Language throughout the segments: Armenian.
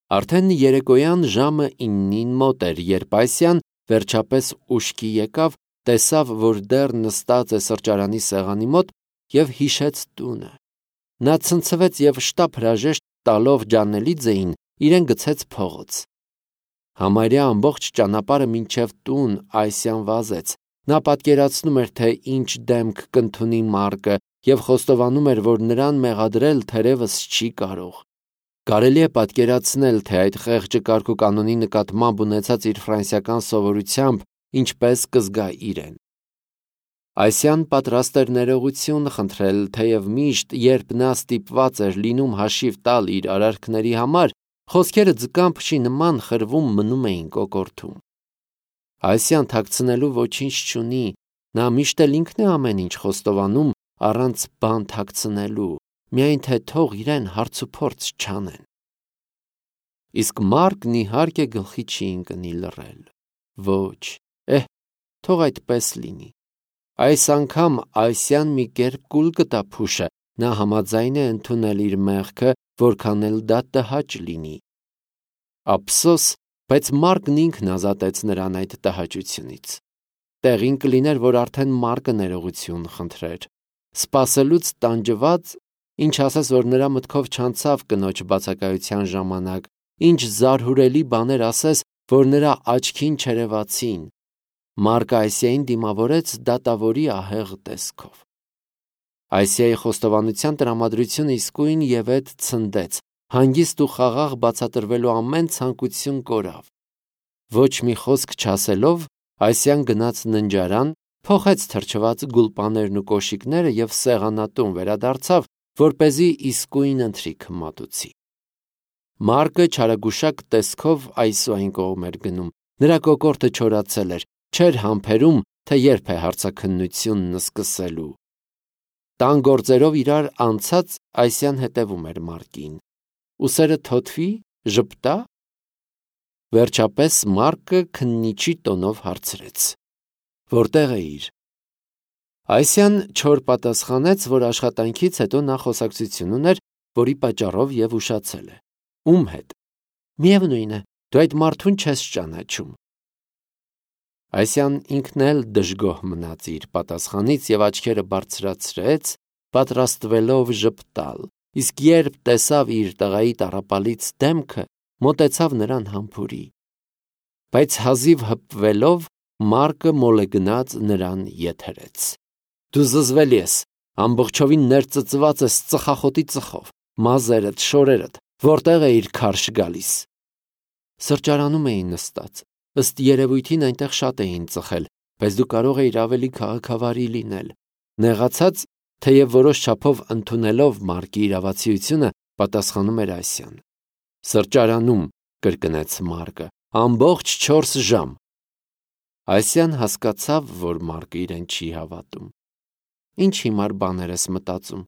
Արդեն երեկոյան ժամը 9-ին մոտ էր, երբ Այսիան վերջապես ուշքի եկավ, տեսավ, որ դեռ նստած է սրճարանի սեղանի մոտ և հիշեց տունը։ Նա ցնցվեց և շտապ հրաժեշտ տալով Ջանելիձեին իրեն գցեց փողոց։ Համարյա ամբողջ ճանապարհը մինչև տուն Այսիան վազեց։ Նա պատկերացնում էր, թե ինչ դեմք կընդունի Մարկը և խոստովանում էր, որ նրան մեղադրել թերևս չի կարող։ Կարելի է պատկերացնել, թե այդ խեղճը կարգուկանոնի նկատմամբ ունեցած իր ֆրանսիական սովորությամբ ինչպես կզգա իրեն։ Այսիան պատրաստ էր ներողություն խնդրել, թեև միշտ, երբ նա ստիպված էր լինում հաշիվ տալ իր արարքների համար, խոսքերը ձկան փշի նման խրվում մնում էին կոկորդում։ Այսիան թաքցնելու ոչինչ չունի, նա միշտ էլ ինքն է ամեն ինչ խոստովանում առանց բան թաքցնելու, միայն թե թող իրեն հարցուփորձ չանեն։ Իսկ Մարկն իհարկե գլխի չի ընկնի լռել։ Ոչ, թող այդպես լինի։ Այս անգամ Այսիան մի կերպ կուլ կտա փուշը, նա համաձայն է ընդունել իր մեղքը, որքան էլ դա տհաճ լինի։ Ափսոս, բայց Մարկն ինքն ազատեց նրան այդ տհաճությունից։ Տեղին կլիներ, որ արդեն Մարկը ներողություն խնդրեր։ Սպասելուց տանջված, ինչ ասես, որ նրա մտքով չանցավ կնոջ բացակայության ժամանակ, ինչ զարհուրելի բաներ ասես, որ նրա աչքին չերևացին։ Մարկը Այսիային դիմավորեց դատավորի ահեղ տեսքով։ Այսիայի խոստովանության տրամադրությունը իսկույն ևեթ ցնդեց, հանգիստ ու խաղաղ բացատրվելու ամեն ցանկություն կորավ։ Ոչ մի խոսք չասելով, Այսիան գնաց ննջարան, փոխեց թրջված գուլպաներն ու կոշիկները և սեղանատուն վերադարձավ, որպեսզի իսկույն ընթրիք մատուցի։ Մարկը չարագուշակ տեսքով այսուայն կողմ էր գնում, նրա կոկորդը չորացել էր, չէր համբերում, թե երբ է հարցաքննությունն սկսելու։ Տան գործերով իրար անցած Այսիան հետևում էր Մարկին։ Ուսերը թոթվի, ժպտա։ Վերջապես Մարկը քննիչի տոնով հարցրեց. Որտե՞ղ էիր։ Այսիան չոր պատասխանեց, որ աշխատանքից հետո նա խոսակցություն ուներ, որի պատճառով և ուշացել է։ Ում հետ։ Միևնույն է, դու այդ մարդուն չես ճանաչում։ Այսիան ինքն էլ դժգոհ մնաց իր պատասխանից և աչքերը բարձրացրեց, պատրաստվելով ժպտալ, իսկ երբ տեսավ իր տղայի տառապալից դեմքը, մոտեցավ նրան համբուրի։ Բայց հազիվ հպվելով, Մարկը մոլեգնած նրան եթերեց. Դու զզվելի ես, ամբողջովին ներծծված ես ծխախոտի ծխով, մազերդ, շորերդ, որտեղ էիր քարշ գալիս։ Սրճարանում էին նստած, ըստ երևույթին այնտեղ շատ էին ծխել, բայց դու կարող էիր ավելի քաղաքավարի լինել։ Նեղացած, թեև որոշ չափով ընդունելով Մարկի իրավացիությունը, պատասխանում էր Այսիան։ Սրճարանում, կրկնեց Մարկը, ամբողջ 4 ժամ։ Այսիան հասկացավ, որ Մարկը իրեն չի հավատում։ Ինչ հիմար բաներ ես մտածում։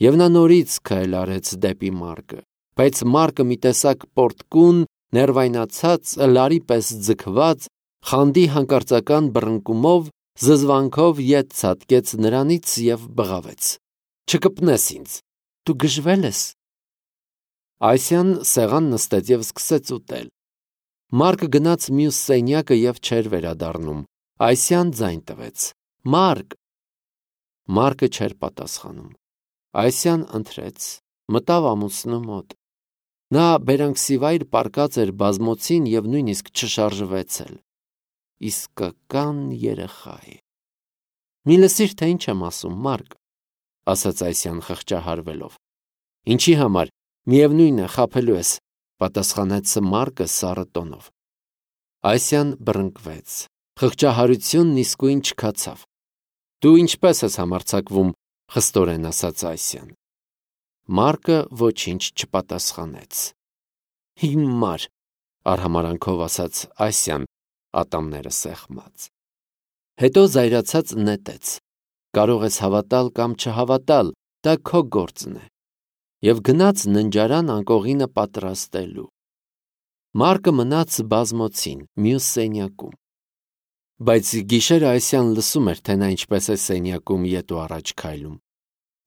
Եվ նա նորից քայլ արեց դեպի Մարկը, բայց Մարկը մի տեսակ պորտկուն, ներվայնացած, լարի պես ձգված, խանդի հանկարծական բռնկումով, զզվանքով ետ ցատկեց նրանից և բղավեց. Չկպնես ինձ, դու գժվել ես։ Այսիան սեղան նստեց և սկսեց ուտել։ Մարկը գնաց մյուս սենյակը և չէր վերադառնում։ Այսիան ձայն տվեց. Մարկ։ Մարկը չէր պատասխանում։ Այսիան ընթրեց, մտավ ամուսնու մոտ։ Նա բերանքսիվայր պառկած էր բազմոցին և նույնիսկ չշարժվեց էլ։ Իսկական երեխա է։ Մի լսիր, թե ինչ եմ ասում, Մարկ, ասաց Այսիան խղճահարվելով։ Ինչի համար, միևնույն է, խաբելու ես, պատասխանեց Մարկը սառը տոնով։ Այսիան բռնկվեց։ Խղճահարությունն իսկույն չքացավ։ Դու ինչպես ես համարձակվում, խստորեն ասաց Այսիան։ Մարկը ոչինչ չպատասխանեց։ Հիմար, արհամարանքով ասաց Այսիան, ատամները սեղմած։ Հետո զայրացած նետեց. Կարող ես հավատալ կամ չհավատալ, դա քո գործն է։ Եվ գնաց ննջարան անկողինը պատրաստելու։ Մարկը մնաց բազմոցին, մյուս սենյակում։ Բայց գիշերը Այսիան լսում էր, թե նա ինչպես է սենյակում ետ ու առաջ քայլում։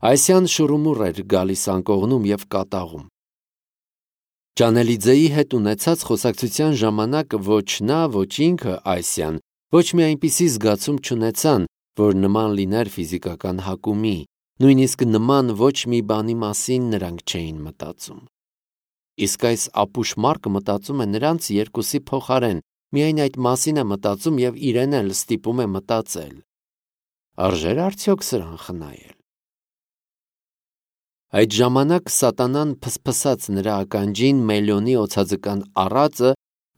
Այսիան շուռումուռ էր գալիս անկողնում և կատաղում։ Ճանելիձեի հետ ունեցած խոսակցության ժամանակ ոչ նա, ոչ ինքը Այսյան ոչ մի այնպիսի զգացում չունեցան, որ նման լիներ ֆիզիկական հակումի, նույնիսկ նման ոչ մի բանի մասին նրանք չէին մտածում։ Իսկ այս ապուշ մարդը մտածում է նրանց երկուսի փոխարեն, միայն այդ մասին է մտածում և իրեն էլ ստիպում է մտածել։ Արժե՞ր արդյոք սրան խնայել։ Այդ ժամանակ սատանան փսփսաց նրա ականջին Մելիոնի օձաձկան առածը,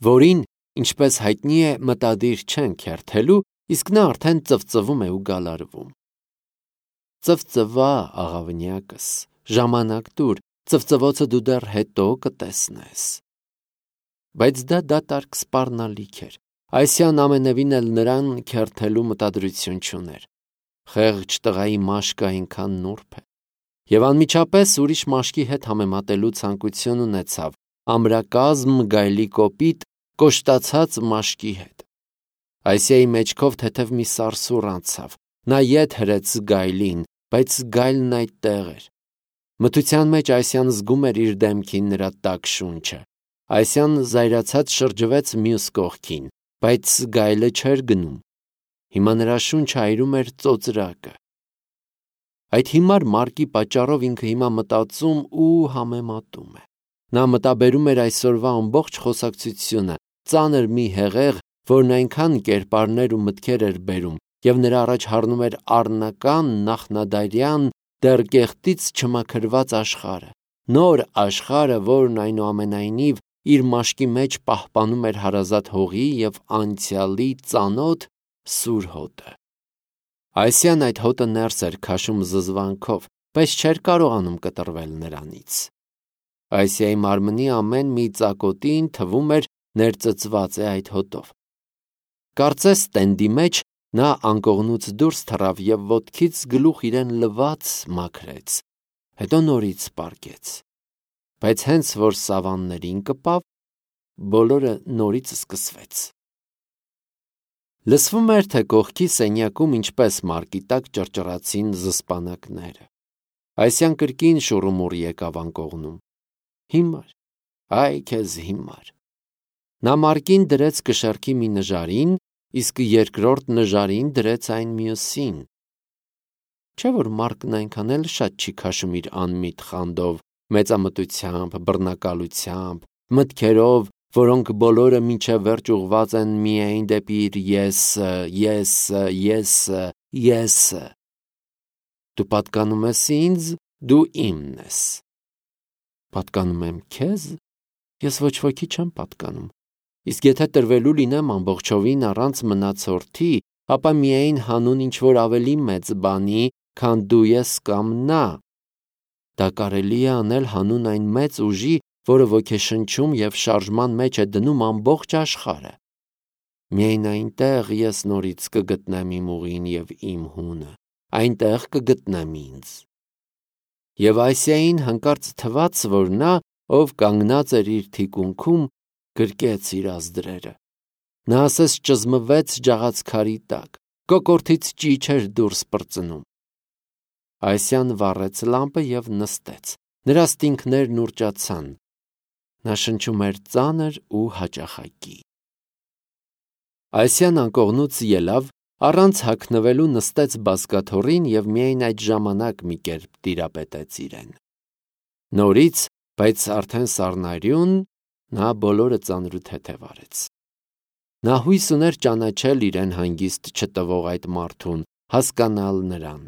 որին, ինչպես հայտնի է, մտադիր չեն քերթելու, իսկ նա արդեն ծվծվում է ու գալարվում։ Ծվծվա, աղավնյակս, ժամանակ տուր, ծվծվոցը դու դեռ հետո կտեսնես։ Բայց դա դատարկ սպառնալիք էր։ Այսյան ամենևին էլ նրան քերթելու մտադրություն չուներ։ Խեղճ տղայի մաշկը այնքան նուրբ է։ Եվ անմիջապես ուրիշ մաշկի հետ համեմատելու ցանկություն ունեցավ, ամրակազմ գայլի կոպիտ, կոշտացած մաշկի հետ։ Այսիայի մեջքով թեթև մի սարսուռ անցավ, նա ետ հրեց գայլին, բայց գայլն այդտեղ էր։ Մթության մեջ Այսյան զգում էր իր դեմքին նրա տաք շունչը։ Այսյան զայրացած շրջվեց մյուս կողքին, բայց գայլը չէր գնում։ Հիմա նրա շունչը այրում էր ծոծրակը։ Այդ հիմար մարկի պատճառով ինքը հիմա մտածում ու համեմատում է։ Նա մտաբերում էր այսօրվա ամբողջ խոսակցությունը, ծանր մի հեղեղ, որն այնքան կերպարներ ու մտքեր էր բերում, և նրա առաջ հառնում էր առնական, նախնադարյան, դեռ կեղտից չմաքրված աշխարհը, նոր աշխարհը, որն այնուամենայնիվ իր մաշկի մեջ պահպանում էր հարազատ հողի և անցյալի ծանոթ սուր հոտը։ Այսյան այդ հոտը ներս էր քաշում զզվանքով, բայց չէր կարողանում կտրվել նրանից։ Այսիայի մարմնի ամեն մի ծակոտին թվում էր ներծծված է այդ հոտով։ Կարծես տենդի մեջ նա անկողնուց դուրս թռավ և ոտքից գլուխ իրեն լվաց մաքրեց, հետո նորից պառկեց։ Բայց հենց որ սավաններին կպավ, բոլորը նորից սկսվեց։ Լսվում էր, թե կողքի սենյակում ինչպես մարկի տակ ճռճռացին զսպանակները։ Այսյան կրկին շուռումուռ եկավ անկողնում։ Հիմար, այ քեզ հիմար։ Նա մարկին դրեց կշեռքի մի նժարին, իսկ երկրորդ նժարին դրեց այն մյուսին։ Չէ՞ որ մարկն այնքան էլ շատ չի քաշում իր անմիտ խանդով, մեծամտությամբ, բռնակալությամբ, մտքերով, որոնք բոլորը մինչև վերջ ուղղված են միայն դեպի իր եսը։ Դու պատկանում ես ինձ, դու իմն ես։ Պատկանում եմ քեզ, ես ոչ ոքի չեմ պատկանում։ Իսկ եթե տրվելու լինեմ ամբողջովին առանց մնացորդի, ապա միայն հանուն ինչ-որ ավելի մեծ բանի, քան դու ես կամ նա։ Դա կարելի է անել հանուն այն մեծ ուժի, որը ոգեշնչում և շարժման մեջ է դնում ամբողջ աշխարհը։ Միայն այնտեղ ես նորից կգտնեմ իմ ուղին և իմ հունը, այնտեղ կգտնեմ ինձ։ Եվ Այսիային հանկարծ թվաց, որ նա, ով կանգնած էր իր թիկունքում, գրկեց իր ազդրերը։ Նա ասես ճզմվեց ջաղացքարի տակ, կոկորդից ճիչ էր դուրս պրծնում։ Այսյան վառեց լամպը և նստեց, նրա ստինքներն ուռճացան։ Նա շնչում էր ծանր ու հաճախակի։ Այսյան անկողնուց ելավ, առանց հագնվելու նստեց բազկաթոռին և միայն այդ ժամանակ մի կերպ տիրապետեց իրեն։ Նորից, բայց արդեն սառնարյուն, նա բոլորը ծանրութեթև արեց։ Նա հույս ուներ ճանաչել իրեն հանգիստ չտվող այդ մարդուն, հասկանալ նրան։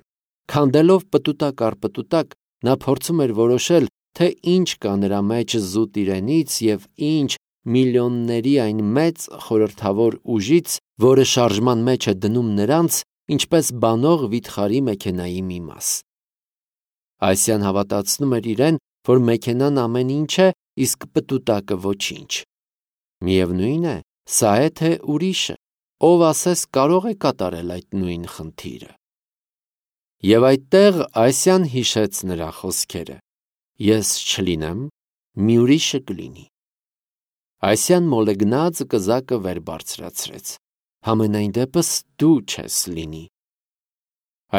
Քանդելով պտուտակ առ պտուտակ, նա փորձում էր որոշել, թե ինչ կա նրա մեջ զուտ իրենից և ինչ միլիոնների այն մեծ խորհրդավոր ուժից, որը շարժման մեջ է դնում նրանց, ինչպես բանող վիթխարի մեքենայի մի մաս։ Այսյան հավատացնում էր իրեն, որ մեքենան ամեն ինչ է, իսկ պտուտակը ոչինչ։ Միևնույն է, սա է թե ուրիշը, ով ասես կարող է կատարել այդ նույն խնդիրը։ Եվ այդտեղ Այսյան հիշեց նրա խոսքերը. ես չլինեմ, մի ուրիշը կլինի։ Այսյան մոլեգնած կզակը վեր բարձրացրեց։ Համենայն դեպս դու չես լինի։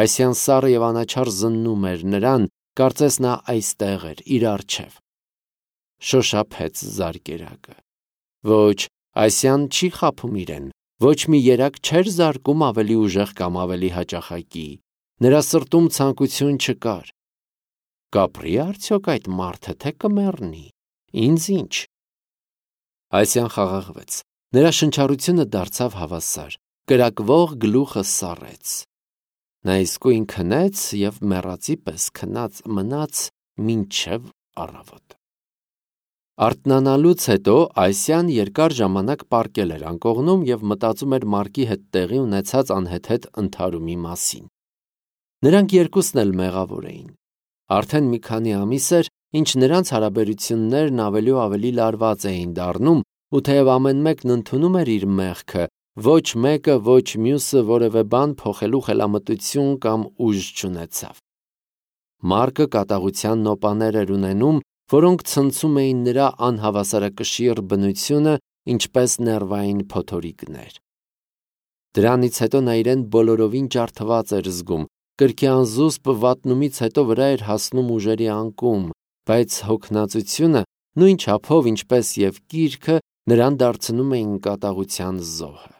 Այսյան սառը և անաչառ զննում էր նրան, կարծես նա այստեղ էր, իր առջև։ շոշափեց զարկերակը։ Ոչ, Ասյան չի խաբում իրեն, ոչ մի երակ չէր զարկում ավելի ուժեղ կամ ավելի հաճախակի, նրա սրտում ցանկություն չկար։ Կապրի արդյոք այդ մարդը, թե կմեռնի, ինձ ինչ։ Ասյան խաղաղվեց, նրա շնչառությունը դարձավ հավասար, կրակվող գլուխը սառեց։ Նա իսկույն քնեց և մեռածի պես քնած մնաց մինչև առավոտ։ Արթնանալուց հետո Ասյան երկար ժամանակ պառկել էր անկողնում և մտածում էր Մարկի հետ տեղի ունեցած անհեթեթ ընդհարումի մասին։ Նրանք երկուսն էլ մեղավոր էին։ Արդեն մի քանի ամիս էր, ինչ նրանց հարաբերություններն ավելի ու ավելի լարված էին դառնում, ու թեև ամեն մեկն ընդունում էր իր մեղքը, ոչ մեկը, ոչ մյուսը որևէ բան փոխելու խելամտություն կամ ուժ չունեցավ։ Մարկը կատաղության նոպաներ էր ունենում, որոնք ցնցում էին նրա անհավասարակշիռ բնությունը, ինչպես ներվային փոթորիկներ։ Դրանից հետո նա իրեն բոլորովին ջարդված էր զգում, կրքի անզուսպ վատնումից հետո վրա էր հասնում ուժերի անկում, բայց հոգնածությունը նույն չափով, ինչպես և կիրքը, նրան դարձնում էին կատաղության զոհը։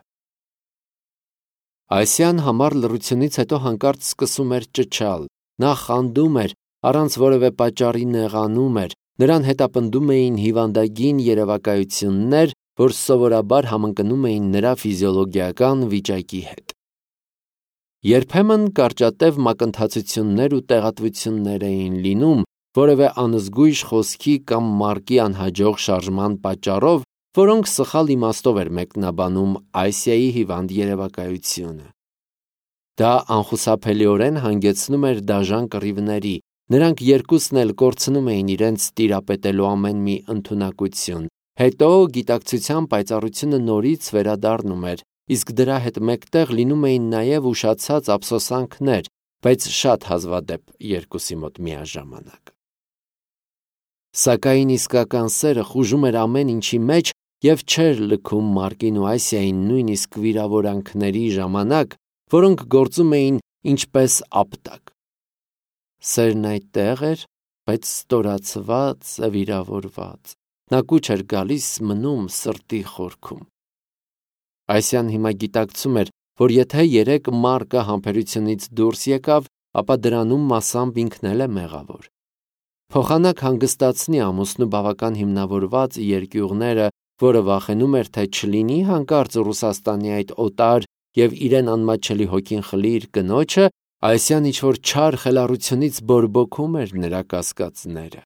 Ասյան համառ լռությունից հետո հանկարծ սկսում էր ճչալ, նա խանդում էր, առանց որևէ պատճառի նեղանում էր, նրան հետապնդում էին հիվանդագին երևակայություններ, որ սովորաբար համընկնում էին նրա ֆիզիոլոգիական վիճակի հետ։ Երբեմն կարճատև մակընթացություններ ու տեղատվություններ էին լինում, որևէ անզգույշ խոսքի կամ Մարկի անհաջող շարժման պատճառով, որոնք սխալ իմաստով էր մեկնաբանում Ասիայի հիվանդ երևակայությունը։ Դա անխուսափելիորեն հանգեցնում էր դաժան կռիվների, նրանք երկուսն էլ կորցնում էին իրենց տիրապետելու ամեն մի ընդունակություն, հետո գիտակցության պայծառությունը նորից վերադառնում էր, իսկ դրա հետ մեկտեղ լինում էին նաև ուշացած ափսոսանքներ, բայց շատ հազվադեպ երկուսի մոտ միաժամանակ։ Սակայն իսկական սերը խուժում էր ամեն ինչի մեջ և չէր լքում Մարկին ու Ասիային նույնիսկ վիրավորանքների ժամանակ, որոնք գործում էին ինչպես ապտակ։ Սերն այդտեղ էր, բայց ստորացված, վիրավորված։ Նա կուչ էր գալիս մնում սրտի խորքում։ Ասյան հիմա գիտակցում էր, որ եթե երեկ Մարկը համբերությունից դուրս եկավ, ապա դրանում մասամբ ինքն էլ է մեղավոր։ Փոխանակ հանգստացնի ամուսնու բավական հիմնավորված երկյուղները, որը վախենում էր, թե չլինի հանկարծ Ռուսաստանի այդ օտար և իրեն անմատչելի հոգին խլի իր կնոջը, Ասյան ինչ-որ չար խելառությունից բորբոքում էր նրա կասկածները։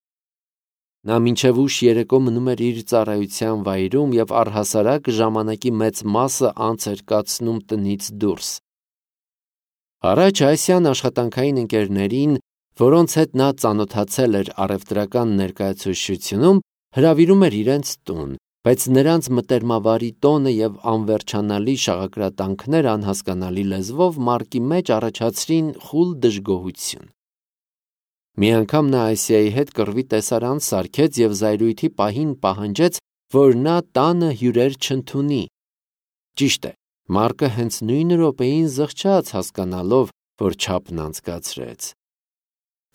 Նա մինչև ուշ երեկո մնում էր իր ծառայության վայրում և առհասարակ ժամանակի մեծ մասը անց էր կացնում տնից դուրս։ Առաջ Ասյան աշխատանքային ընկերներին, որոնց հետ նա ծանոթացել էր առևտրական ներկայացուցչությունում, հրավիրում էր իրենց տուն, բայց նրանց մտերմավարի տոնը և անվերջանալի շաղակրատանքները անհասկանալի լեզվով Մարկի մեջ առաջացրին խուլ դժգոհություն։ Մի անգամ նա Ասիայի հետ կռվի տեսարան սարքեց և զայրույթի պահին պահանջեց, որ նա տանը հյուրեր չընդունի։ Ճիշտ է, Մարկը հենց նույն րոպեին զղջաց, հասկանալով, որ չափն անցկացրեց։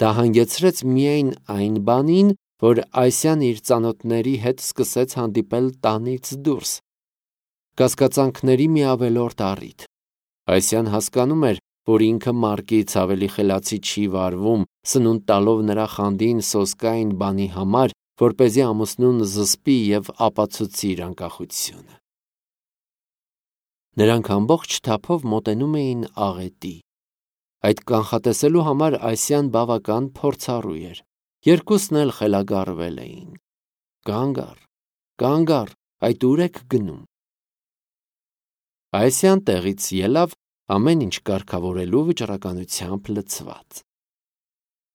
Դա հանգեցրեց միայն այն բանին, որ Ասյան իր ծանոթների հետ սկսեց հանդիպել տանից դուրս։ Կասկածանքների մի ավելորդ առիթ։ Ասյան հասկանում էր, որ ինքը Մարկից ավելի խելացի չի վարվում, սնունդ տալով նրա խանդին սոսկային բանի համար, որպեսզի ամուսնուն զսպի և ապացուցի իր անկախությունը։ Նրանք ամբողջ թափով մոտենում էին աղետի։ Այդ կանխատեսելու համար Ասյան բավական փորձառու էր։ Երկուսն էլ խելագարվել էին։ Կանգ առ, այդ ուր եք գնում։ Ասյան տեղից ելավ ամեն ինչ կարգավորելու վճռականությամբ լցված։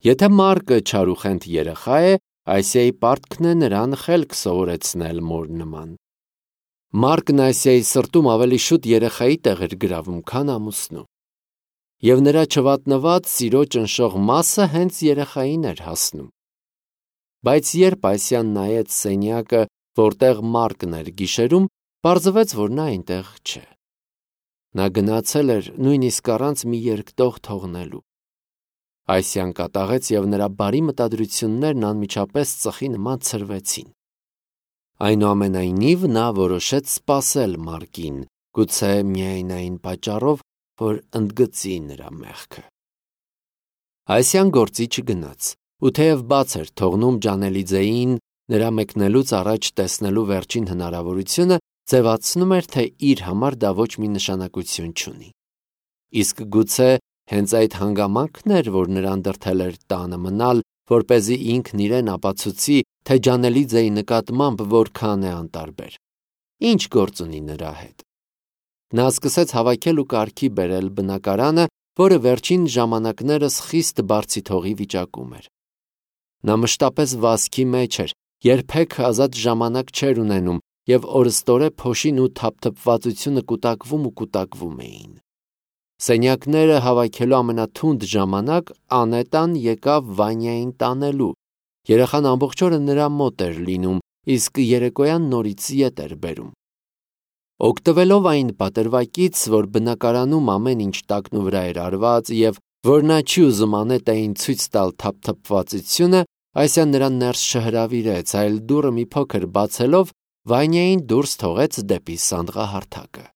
Եթե Մարկը չարուխենթ երեխա է, Ասիայի պարտքն է նրան խելք սովորեցնել մոր նման։ Մարկն Ասիայի սրտում ավելի շուտ երեխայի տեղ էր գրավում, քան ամուսնու։ Եվ նրա չվատնված սիրո ճնշող մասը հենց երեխային էր հասնում։ Բայց երբ Ասյան նայեց սենյակը, որտեղ Մարկն էր գիշերում, պարզվեց, որ նա այնտեղ չէ։ Նա գնացել էր նույնիսկ առանց մի երկտող թողնելու։ Այսյան կատաղեց և նրա բարի մտադրություններն անմիջապես ծխի նման ցրվեցին։ Այնուամենայնիվ նա որոշեց սպասել Մարկին, գուցե միայն այն պատճառով, որ ընդգծի նրա մեղքը։ Այսյան գործի չգնաց, ու թեև բաց էր թողնում Ջանելիձեին նրա մեկնելուց առաջ տեսնելու վերջին հնարավորությունը, ձևացնում էր, թե իր համար դա ոչ մի նշանակություն չունի։ Իսկ գուցե հենց այդ հանգամանքն էր, որ նրան դրդել էր տանը մնալ, որպեսզի ինքն իրեն ապացուցի, թե Ջանելիձեի նկատմամբ որքան է անտարբեր։ Ինչ գործ ունի նրա հետ։ Նա սկսեց հավաքել ու կարգի բերել բնակարանը, որը վերջին ժամանակներս խիստ բարձիթողի վիճակում էր։ Նա մշտապես վազքի մեջ էր, երբեք ազատ ժամանակ չէր ունենում, և օրըստօրե փոշին ու թափթփվածությունը կուտակվում էին։ Սենյակները հավաքելու ամենաթունդ ժամանակ Անետան եկավ Վանյային տանելու։ Երեխան ամբողջ օրը նրա մոտ էր լինում, իսկ երեկոյան նորից ետ էր բերում։ Օգտվելով այն պատրվակից, որ բնակարանում ամեն ինչ տակնուվրա էր արված և որ նա չի ուզում Անետային ցույց տալ թափթփվածությունը, Այսյան նրան ներս չհրավիրեց, այլ դուռը մի փոքր բացելով Վանյային դուրս թողեց դեպի սանդղահարթակը։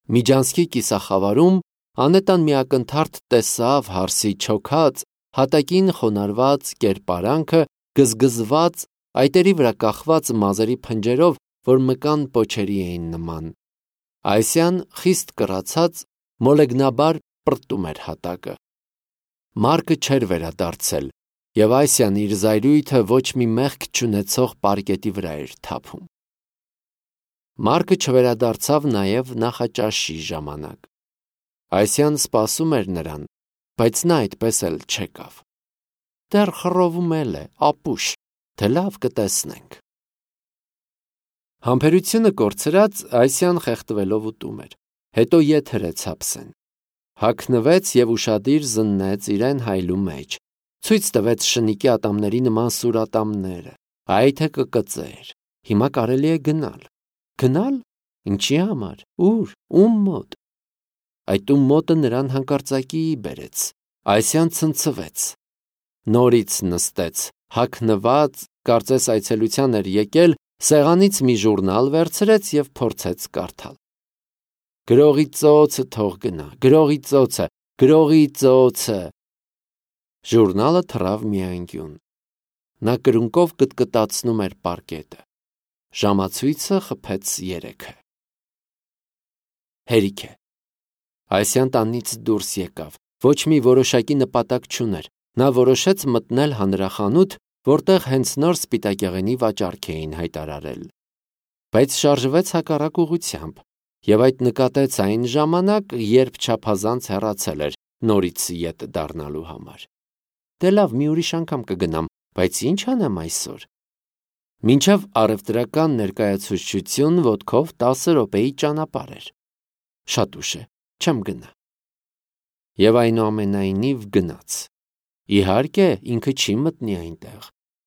Միջանցքի կիսախավարում Անետան մի ակնթարթ տեսավ հարսի չոքած, հատակին խոնարհված կերպարանքը, գզգզված, այտերի վրա կախված մազերի փնջերով, որ մկան պոչերի էին նման։ Այսյան խիստ կռացած, մոլեգնաբար պրտում էր հատակը։ Մարկը չէր վերադարձել, և Այսյան իր զայրույթը ոչ մի մեղք չունեցող պարկետի վրա էր թափում։ Մարկը չվերադարձավ նաև նախաճաշի ժամանակ։ Այսյան սպասում էր նրան, բայց նա այդպես էլ չեկավ։ Դեռ խռովում է, ապուշ, թե լավ կտեսնենք։ Համբերությունը կորցրած Այսյան խեղդվելով ուտում էր, հետո ետ հրեց հապսեն։ Հագնվեց և ուշադիր զննեց իրեն հայլու մեջ, ցույց տվեց շնիկի ատամների նման սուր ատամները, այ թե կկծեր, հիմա կարելի է գնալ։ Գնալ։ Ինչի համար, ուր, ում մոտ։ Այդ ում մոտը նրան հանկարծակիի բերեց։ Այսյան ցնցվեց։ Նորից նստեց, հագնված, կարծես այցելության էր եկել, սեղանից մի ժուրնալ վերցրեց և փորձեց կարդալ։ Գրողի ծոցը թող գնա, գրողի ծոցը, գրողի ծոցը։ Ժուրնալը թռավ մի անկյուն։ Նա կրունկով կտկտացնում էր պարկետը։ Ժամացույցը խփեց 3-ը։ Հերիք է։ Այսյան տանից դուրս եկավ, ոչ մի որոշակի նպատակ չուներ։ Նա որոշեց մտնել հանրախանութ, որտեղ հենց նոր սպիտակեղենի վաճառք էին հայտարարել։ Բայց շարժվեց հակառակ ուղղությամբ, և այդ նկատեց այն ժամանակ, երբ չափազանց հեռացել էր նորից ետ դառնալու համար։ Դե լավ, մի ուրիշ անգամ կգնամ, բայց ինչ անեմ այսօր։ Մինչև առևտրական ներկայացուցչություն ոտքով 10 րոպեի ճանապարհ էր։ Շատ ուշ է, չեմ գնա։ Եվ այնուամենայնիվ գնաց։ Իհարկե, ինքը չի մտնի այնտեղ,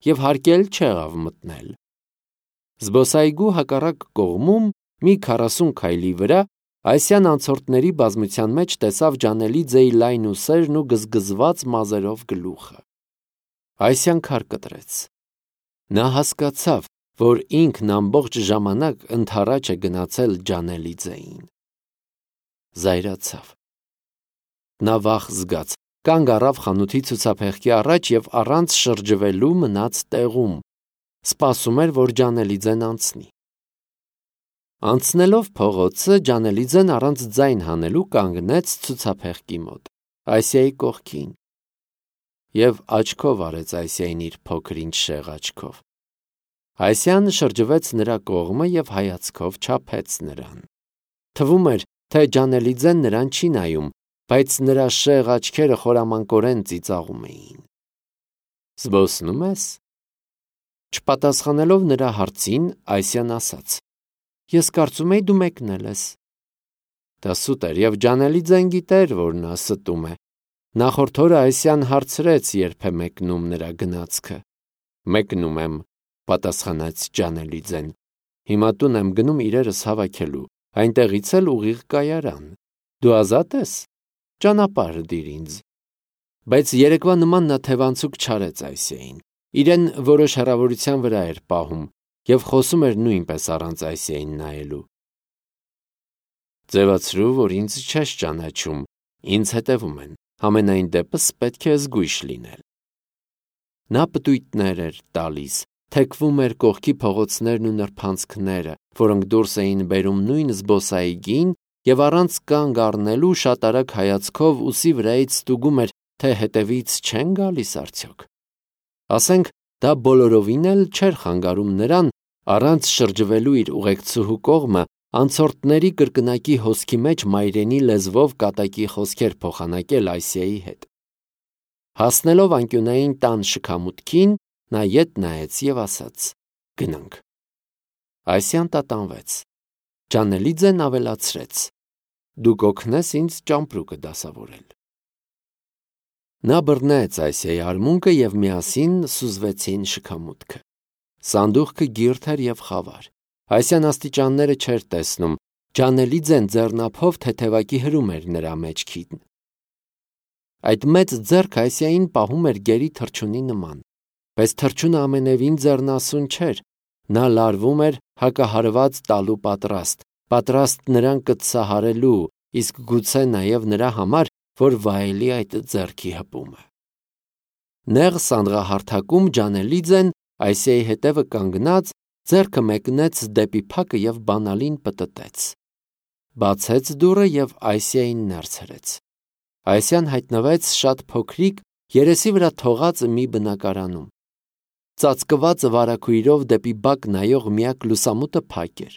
և հարկել չեղավ մտնել։ Զբոսայգու հակառակ կողմում, մի 40 քայլի վրա, Այսյան անցորդների բազմության մեջ տեսավ Ջանելիձեի լայն ուսերն ու գզգզված մազերով գլուխը։ Այսյան քար կտրեց։ Նա հասկացավ, որ ինքն ամբողջ ժամանակ ընդառաջ է գնացել Ջանելիձեին։ Զայրացավ։ Նա վախ զգաց, կանգ առավ խանութի ցուցափեղկի առաջ և առանց շրջվելու մնաց տեղում, սպասում էր, որ Ջանելիձեն անցնի։ Անցնելով փողոցը, Ջանելիձեն առանց ձայն հանելու կանգնեց ցուցափեղկի մոտ, Այսիայի կողքին, և աչքով արեց Այսիային իր փոքր-ինչ շեղ աչքով։ Այսյան շրջվեց նրա կողմը և հայացքով չափեց նրան։ Թվում էր, թե Ջանելիձեն նրան չի նայում, բայց նրա շեղ աչքերը խորամանկորեն ծիծաղում էին։ Զբոսնու՞մ ես։ Չպատասխանելով նրա հարցին, Այսյան ասաց. Ես կարծում էի դու մեկնել ես։ Դա սուտ էր, և Ջանելիձեն գիտեր, որ նա ստում է։ Նախորդ օրը Այսյան հարցրեց, երբ է մեկնում նրա գնացքը։ Մեկնում եմ, պատասխանեց Ջանելիձեն։ Հիմա տուն եմ գնում իրերս հավաքելու, այնտեղից էլ ուղիղ կայարան։ Դու ազատ ես։ Ճանապարհ դիր ինձ։ Բայց երեկվա նման նա թևանցուկ չարեց Այսիային, իրեն որոշ հեռավորության վրա էր պահում և խոսում էր նույնպես առանց Այսիային նայելու։ Ձևացրու, որ ինձ չես ճանաչում, ինձ հետևում են, համենայն դեպս պետք է զգույշ լինել։ Նա պտույտներ էր տալիս, թեքվում էր կողքի փողոցներն ու նրբանցքները, որոնք դուրս էին բերում նույն զբոսայգին և առանց կանգ առնելու շատ արագ հայացքով ուսի վրայից ստուգում էր, թե հետևից չեն գալիս արդյոք։ Ասենք, դա բոլորովին էլ չէր խանգարում նրան առանց շրջվելու իր ուղեկցուհու կողմը անցորդների կրկնակի հոսքի մեջ մայրենի լեզվով կատակի խոսքեր փոխանակել Այսիայի հետ։ Հասնելով անկյունային տան շքամուտքին, նա ետ նայեց և ասաց. «Գնանք»։ Այսիան տատանվեց։ Ջանելիձեն ավելացրեց. «Դու կօգնես ինձ ճամպրուկը դասավորել»։ Նա բռնեց Այսիայի արմունկը և միասին սուզվեցին շքամուտքը։ Սանդուղքը գիրթ էր և խավար։ Այսիան աստիճանները չէր տեսնում, Ջանելիձեն ձեռնափով թեթևակի հրում էր նրա մեջքին։ Այդ մեծ ձեռքը Այսիային պահում էր գերի թռչունի նման, բայց թռչունը ամենևին ձեռնասուն չէր, նա լարվում էր հակահարված տալու պատրաստ նրան կծսահարելու, իսկ գուցե նաև նրա համար, որ վայելի այդ ձեռքի հպումը։ Նեղ սանդղահարթակում Ջանելիձեն Այսիայի հետևը կանգնած ձեռքը մեկնեց դեպի փակը և բանալին պտտեց։ Բացեց դուռը և Այսիային ներս հրեց։ Այսիան հայտնվեց շատ փոքրիկ, երեսի վրա թողած մի բնակարանում։ Ծածկված վարագույրով դեպի բակ նայող միակ լուսամուտը փակ էր։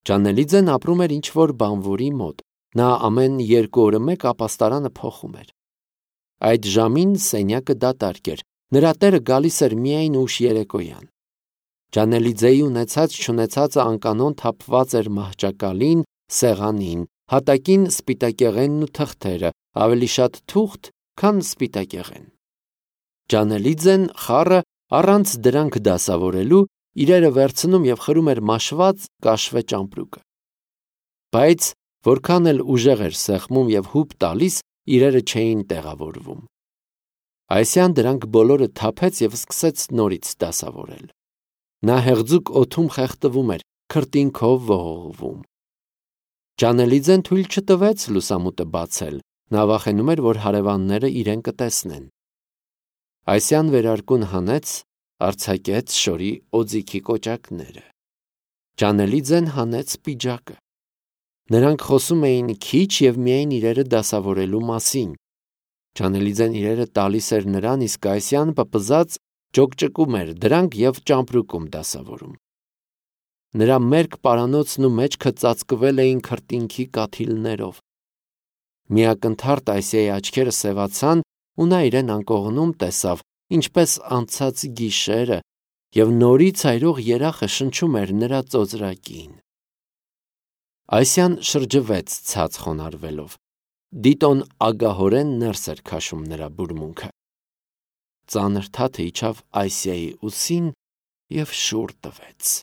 Ջանելիձեն ապրում էր ինչ-որ բանվորի մոտ, նա ամեն 2 օրը մեկ ապաստարանը փոխում էր։ Այդ ժամին սենյակը դատարկ էր, նրա տերը գալիս էր միայն ուշ երեկոյան։ Ջանելիձեի ունեցած-չունեցածը անկանոն թափված էր մահճակալին, սեղանին, հատակին սպիտակեղենն ու թղթերը, ավելի շատ թուղթ, քան սպիտակեղեն։ Ջանելիձեն խառը առանց դրանք դասավորելու իրերը վերցնում և խրում էր մաշված կաշվե ճամպրուկը։ Բայց որքան էլ ուժեղ էր սեղմում և հուպ տալիս, իրերը չէին տեղավորվում։ Այսիան դրանք բոլորը թափեց և սկսեց նորից դասավորել։ Նա հեղձուկ օդում խեղդվում էր, քրտինքով ողողվում։ Ջանելիձեն թույլ չտվեց լուսամուտը բացել, նա վախենում էր, որ հարևանները իրեն կտեսնեն։ Այսիան վերարկուն հանեց, արձակեց շորի օձիքի կոճակները։ Ջանելիձեն հանեց պիջակը։ Նրանք խոսում էին քիչ և միայն իրերը դասավորելու մասին։ Ջանելիձեն իրերը տալիս էր նրան, իսկ Այսիան պպզած ջոկջկում էր դրանք և ճամպրուկում դասավորում։ Նրա մերկ պարանոցն ու մեջքը ծածկվել էին քրտինքի կաթիլներով։ Մի ակնթարթ Այսիայի աչքերը սևացան, ու նա իրեն անկողնում տեսավ, ինչպես անցած գիշերը, և նորից այրող երախը շնչում էր նրա ծոծրակին։ Այսիան շրջվեց ցած խոնարհվելով։ Դիտոն ագահորեն ներս էր քաշում նրա բուրմունքը։ Ծանր թաթը իջավ Այսիայի ուսին և շուռ տվեց։